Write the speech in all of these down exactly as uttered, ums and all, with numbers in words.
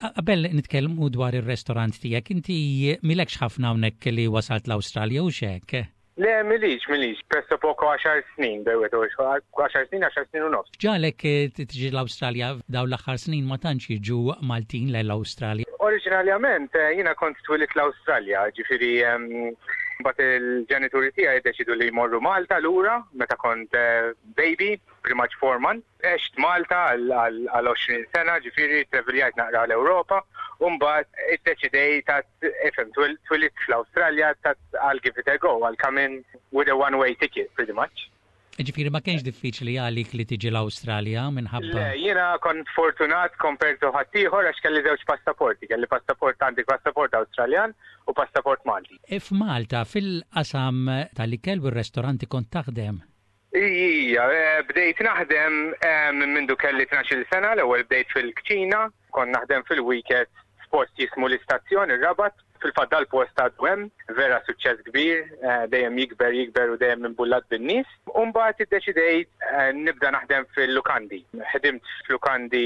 Qabel nitkellmu dwar ir-restorant tiegħek, inti m'ilekx ħafna hawnhekk li wasalt l-Awstralja u xek? Le, m'ilix, m'ilix, pressappoco għaxar snin, bewet, għaxar snin, għaxar snin u nofs. Ġagħlek tiġi l-Awstralja? Dawn l-aħħar snin ma tantx jiġu Maltin l-Awstralja. Oriġinarjament, eh, jiena kont twelidt l-Awstralja, ġifieri mbagħad il-ġenituri tiegħi deċidu li jmorru Malta lura meta kont eh, baby, pretty much four months. Għext Malta għal għoxrin sena, ġifieri traveljajt naqra l-Ewropa, u mbagħad iddeċidejt għedt, ifhem, twelidt fl-Awstralja, għedt I'll give it a go, I'll come in with a one-way ticket, pretty much. Ġifieri ma kienx diffiċli għalik li tiġi l-Awstralja minħabba? Le, jiena kont fortunat compared to ħaddieħor għax kelli żewġ passaporti, kelli passaport għandi passaport Awstraljan u passaport Malti. E f'Malta, fil-qasam tal-ikel u r-restoranti kont taħdem? Ija, eh, bdejt naħdem eh, minn mindu kelli tnax-il sena, l-ewwel bdejt fil-kċina, kont naħdem fil-weekend f'post jismu l-istazzjon, ir-Rabat, fil-fatt dal-post għadu hemm, vera suċċess kbir, eh, dejjem jikber, jikber u dejjem imbullat bin-nies. U mbagħad iddeċidejt nibda naħdem fil-lukandi. Ħdimt fil-lukandi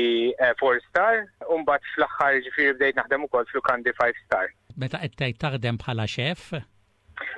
four star, u mbagħad fl-aħħar ġifieri bdejt naħdem ukoll fil-lukandi five star. Meta qed tgħid taħdem bħala chef?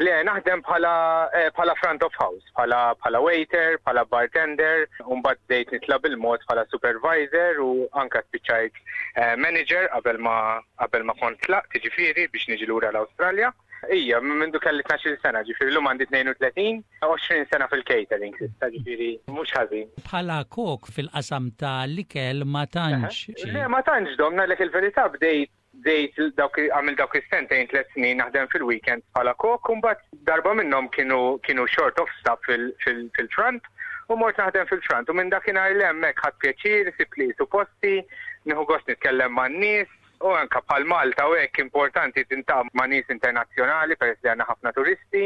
Le, naħdem bħala eh, bħala front of house, bħala bħala waiter, bħala bartender, u mbagħad bdejt nitla' bil-mod bħala supervisor u anka spiċċajt eh, manager qabel ma qabel ma kont tlaqt ġifieri biex niġi lura l-Awstralja. Ija, mindu kelli tnax-il sena, ġifieri llum għandi tnejn u tletin, għoxrin sena fil-catering, issa ġifieri mhux ħażin. Bħala kok fil-qasam ta' l-ikel ma tantx. Le, ma tantx domna lek il-verità, bdejt bdejt dawk għamil dawk is-sentejn, tliet snin naħdem fil-weekend bħala kok, u mbagħad darba minnhom kienu kienu short of staff fil-front u mort naħdem fil-front u minn dakinhar 'l hemmhekk ħadt pjaċir, sibt li su posti, nieħu gost nitkellem man-nies u anka bħal Malta u hekk importanti tiltaqa' ma' nies internazzjonali peress li għandna ħafna turisti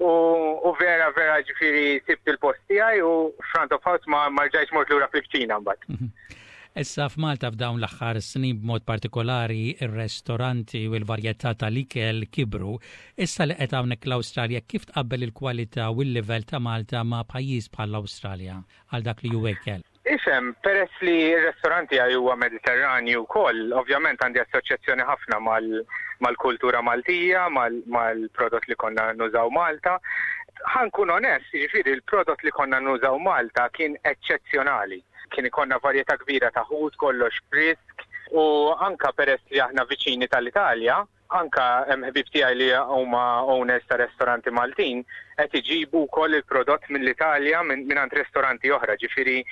u, u vera vera ġifieri sibt il-post tiegħi u front of house ma ma rġajtx mort lura fil-kċina mbagħad. Mhm. Issa f'Malta f'dawn l-aħħar snin b'mod partikolari ir-restoranti u l-varjetà tal-ikel kibru. Issa li qed hawnhekk l-Awstralja, kif tqabbel il-kwalità u l-livell ta' Malta ma' pajjiż bħall-Awstralja għal dak li huwa ikel? Ifhem, peress li r-restoranti għaj huwa Mediterranju wkoll, ovvjament għandi assoċjazzjoni ħafna mal-kultura Maltija, mal-prodott li konna nużaw Malta. Ħa nkun onest, jiġifieri il-prodott li konna nużaw Malta kien eċċezzjonali. Kien ikonna varjetà kbira ta' ħut, kollox frisk, u anka peress li aħna viċini tal-Italja, anka hemm ħbib tiegħi li huma owners ta' restoranti Maltin qed iġibu wkoll il-prodott mill-Italja minn minn restoranti oħra, ġifieri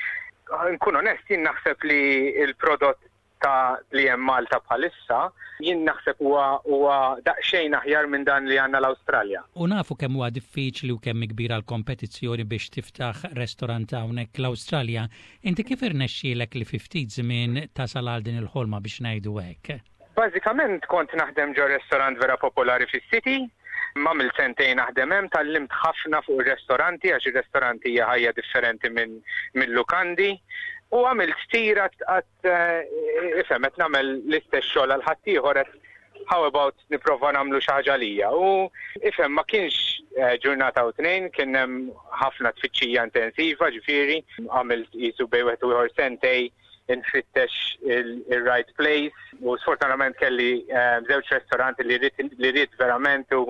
nkun onest, jien naħseb li il-prodott ta' li hemm Malta bħalissa, jien naħseb huwa huwa daqsxejn aħjar minn dan li għandna l-Awstralja. U nafu kemm huwa diffiċli u kemm kbira l-kompetizzjoni biex tiftaħ restorant hawnhekk l-Awstralja. Inti kif irnexxielek li fi ftit żmien tasal għal din il-ħolma, biex ngħidu hekk? Bażikament kont naħdem ġo restorant vera popolari fis-city, għamilt sentejn naħdem hemm, tgħallimt ħafna fuq ir-restoranti għax ir-restoranti hija ħajja differenti minn minn lukandi. U għamilt tira għedt, eh, ifhem, qed nagħmel l-istess xogħol għal ħaddieħor, how about nipprova nagħmlu xi ħaġa lija. U ifhem, ma kienx eh, ġurnata u tnejn, kien hemm ħafna tfittxija intensiva, ġifieri għamilt qisu bejn wieħed u ieħor sentejn infittex il-right place u sfortunatament kelli eh, żewġ restoranti li ridt verament u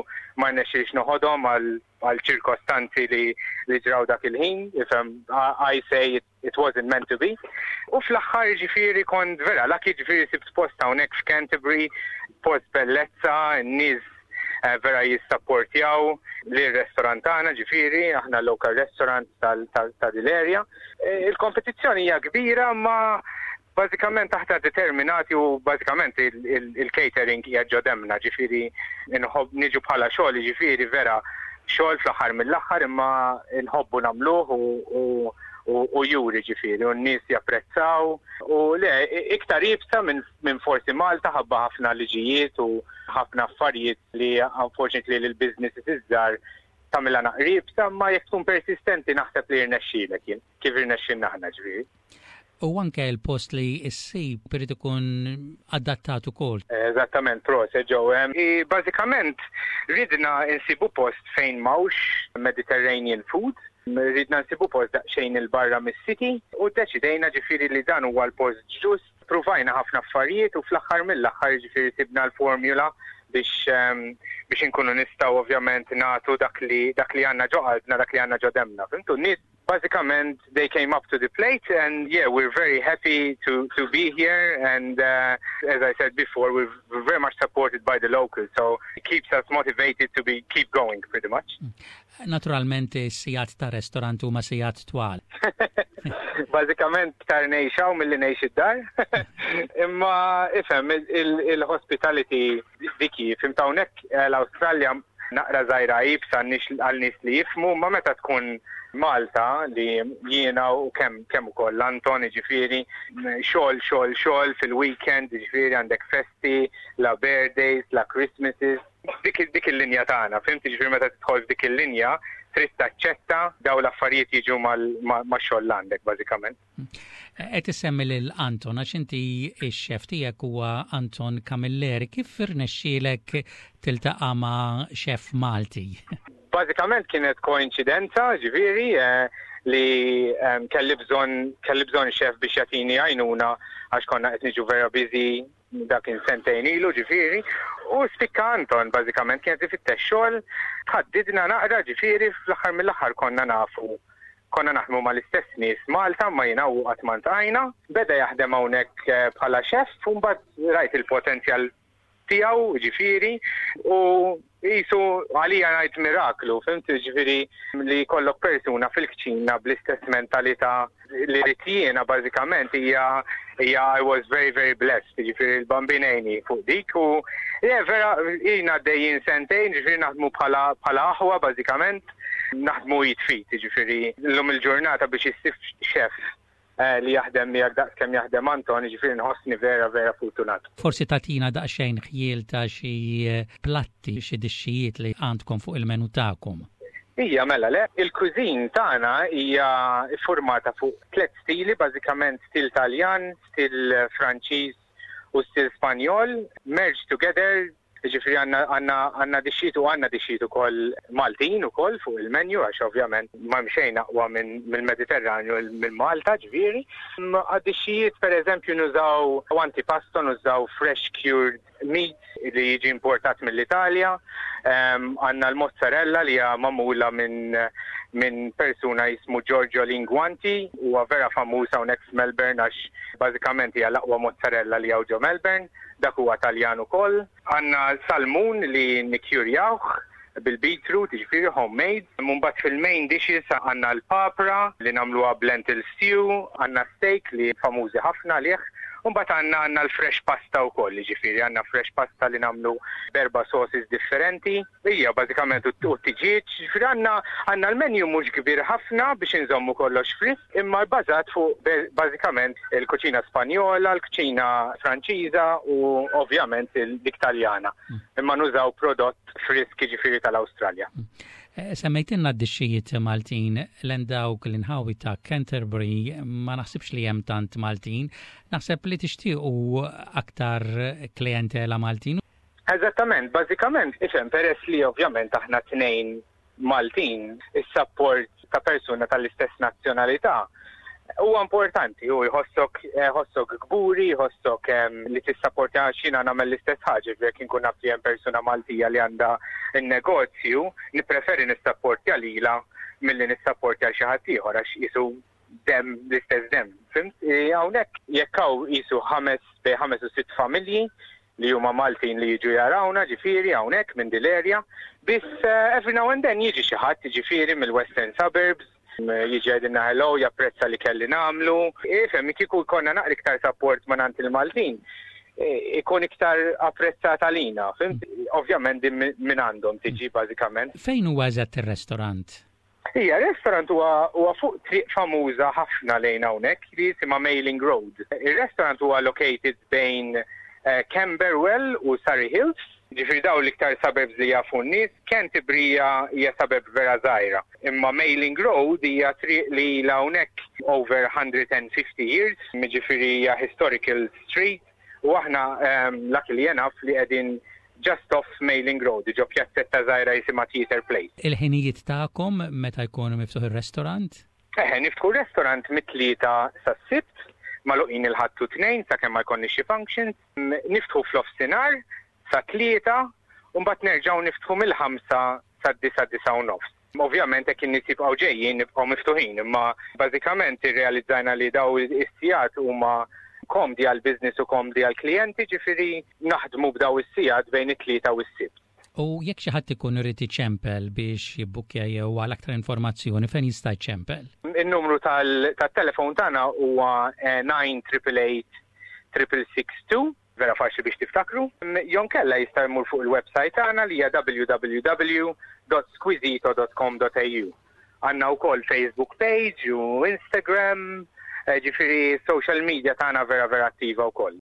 ma rnexxilix noħodhom għal ċirkostanzi li li ġraw dak il-ħin, ifhem, I say it, it wasn't meant to be. U fl-aħħar ġifieri kont vera lucky, ġifieri sibt post hawnhekk f'Canterbury, post bellezza, n-nies eh, vera jissapportjaw li r-restorant tagħna, ġifieri aħna local restaurant tal-area. Eh, il-kompetizzjoni hija kbira, ma bażikament aħna determinati u bażikament il-catering hija ġo demmna, ġifieri nħobb niġu bħala xogħol, ġifieri vera xogħol fl-aħħar mill-aħħar, imma nħobbu nagħmluh u u juri ġifieri u n-nies japprezzaw u le iktar iebsa minn min forsi Malta ħabba ħafna liġijiet u ħafna affarijiet li unfortunately l-business iżżar tagħmilha naqra iebsa, ma jekk tkun persistenti naħseb li jirnexxielek jien, kif irnexxilna aħna ġifieri. U anke l-post li issib irid ikun adattat ukoll. Eżattament, proset Joe. Bażikament ridna insibu post fejn m'hawnx Mediterranean food, ridna nsibu post daqsxejn 'il barra mis-city u deċidejna ġifieri li dan huwa l-post ġust. Pruvajna ħafna affarijiet u fl-aħħar mill-aħħar, ġifieri, sibna l-formula biex um, biex inkunu nistgħu ovvjament nagħtu dak li dak li għandna ġo qalbna, dak li għandna ġo demna. Fhimtu, nies bażikament they came up to the plate and, yeah, we're very happy to to be here and, uh, as I said before, we're, we're very much supported by the locals, so it keeps us motivated to be keep going pretty much. Naturalment sigħat ta' restorant huma sigħat twal. Bażikament iktar ngħix hawn milli ngħix id-dar. Imma ifhem, il-hospitality diki, fhimt, hawnhekk eh, l-Awstralja naqra żgħira iebsa għal nies li jifhmu, ma meta tkun Malta li jiena u kemm kemm ukoll Anton, ġifieri, xogħol, xogħol, xogħol fil-weekend, ġifieri għandek festi, la birthdays, la Christmases, dik dik il-linja tagħna, fhimt, ġifieri meta tidħol f'dik il-linja trid taċċetta daw l-affarijiet jiġu mal-xogħol għandek bażikament. Qed issemmi lil Anton għax inti x-xef tiegħek huwa Anton Camilleri. Kif irnexxielek tiltaqa' ma' xef Malti? Bażikament kienet koinċidenza, ġifieri, eh, li kelli bżonn kelli bżonn xef biex jagħtini għajnuna għax konna qed niġu vera busy, dak kien sentejn ilu ġifieri, u spikka Anton. Bażikament kienet ifittex xogħol, tħaddidna naqra, ġifieri fl-aħħar mill-aħħar konna nafu, konna naħdmu mal-istess nies Malta, ma jiena u qatt ma ltqajna. Beda jaħdem hawnhekk eh, bħala xef u mbagħad rajt il-potenzjal tiegħu, ġifieri, u jisu għalija ngħid miraklu, fhimt, ġifieri li jkollok persuna fil-kċina bl-istess mentalità li rrid jiena bażikament hija hija I was very very blessed, ġifieri l-Bambin għenni fuq dik u, yeah, vera jina għaddejjin sentejn, ġifieri naħdmu bħala bħala aħwa bażikament, naħdmu id f'id, ġifieri llum il-ġurnata biex issib xef eh, li jaħdem miegħek daqs kemm jaħdem Anton, ġifieri nħossni vera vera fortunat. Forsi tagħtina daqsxejn ħjiel ta' xi platti, xi dixxijiet li għandkom fuq il-menu tagħkom. Ija, mela le, il-cuisine tagħna hija formata fuq tliet stili, bażikament stil Taljan, stil Franċiż u stil Spanjol, merged together, ġifieri għandna għandna għandna dixxijiet u għandna dixxijiet ukoll Maltin ukoll fuq il-menu għax ovvjament ma xejn aqwa minn mill-Mediterranju minn Malta, ġifieri. Għad-dixxijiet, per eżempju, nużaw antipasto, nużaw fresh cured meat li jiġi importat mill-Italja. Għandna l-mozzarella li hija magħmula minn minn persuna jismu Giorgio Linguanti, huwa vera famuż hawnhekk f'Melbourne għax bażikament hija l-aqwa mozzarella li hawn ġo Melbourne, dak huwa Taljan ukoll. Għandna salmun li nikkjurjawh bil-beetroot, ġifieri homemade. Mbagħad fil-main dishes għandna l-papra li nagħmluha b'lentil stew, għandna steak li famużi ħafna għalih. Mbagħad għandna għandna l-fresh pasta wkoll, ġifieri għandna fresh pasta li nagħmlu b'erba' sauces differenti. Hija bażikament u t-tiġieġ, ġifieri għandna għandna l-menu mhux kbir ħafna biex inżommu kollox frisk, imma bbażat fuq bażikament il-kuċina Spanjola, l-kuċina Franċiża u ovvjament dik Taljana. Imma nużaw prodott frisk, ġifieri tal-Awstralja. Eh, semmejtilna d-dixxijiet Maltin lejn dawk l-inħawi ta' Canterbury, ma naħsibx li hemm tant Maltin. Naħseb li tixtiequ aktar klientela Maltin. Eżattament, bażikament, ifhem, peress li ovvjament aħna tnejn Maltin, is-support ta' persuna tal-istess nazzjonalità huwa importanti, u jħossok jħossok kburi, jħossok li tissapportja għax jiena nagħmel l-istess ħaġa, jekk inkun naf li hemm persuna Maltija li għandha n-negozju, nippreferi nissapportja lila milli nissapportja xi ħadd ieħor għax jisu dem l-istess dem. Fhimt? Hawnhekk jekk hawn jisu ħames bejn ħames u sitt familji li huma Maltin li jiġu jarawna, ġifieri hawnhekk minn dil-area, biss eh, every now and then jiġi xi ħadd, ġifieri mill-Western Suburbs, jiġi jgħidilna hello, japprezza li kelli nagħmlu. Ifhem, kieku jkollna naqra iktar support minn il-Maltin, ikun iktar apprezzat għalina, fhimt? Ovvjament din minn għandhom tiġi bażikament. Fejn huwa eżatt ir-restorant? Ija, restaurant huwa huwa fuq triq famuża ħafna lejn hawnhekk li jisimha Mailing Road. Ir-restaurant huwa located bejn uh, Camberwell u Surrey Hills. Ġifieri daw l-iktar suburbs li jafu n-nies, Canterbury hija suburb vera żgħira. Imma Mailing Road hija triq li ilha hawnhekk over one hundred fifty years, ġifieri hija historical street, u aħna um, luckily enough li qegħdin just off Mailing Road, ġo pjazzetta żgħira jisimha Theatre Place. Il-ħinijiet tagħkom meta jkunu miftuħ ir-restorant? Eħe, niftħu restaurant mit-Tlieta sas-Sibt, Magħluqin il-Ħadd u Tnejn sakemm ma jkollniex xi functions. Niftħu f'nofsinhar sa tlieta u mbagħad nerġgħu niftħu mill-ħamsa sa disa disa u nofs. Ovvjament hekk in-nies jibqgħu ġejjin nibqgħu miftuħin, imma bażikament irrealizzajna li daw is-sigħat huma komdi għal business u komdi għal klijenti, ġifieri naħdmu b'daw is-sigħat bejn it-Tlieta u s-Sibt. U jekk xi ħadd ikun irid iċempel biex jibbukkja jew għal aktar informazzjoni, fejn jista' jċempel? In-numru tal-telefon tagħna huwa nine eight eight six six six two, vera faċli biex tiftakru. Jew inkella jista' jmur fuq il-website tagħna li hija W W W dot squizito dot com dot A U. Għandna wkoll Facebook page u Instagram, eh, ġifieri social media tagħna vera vera attiva wkoll.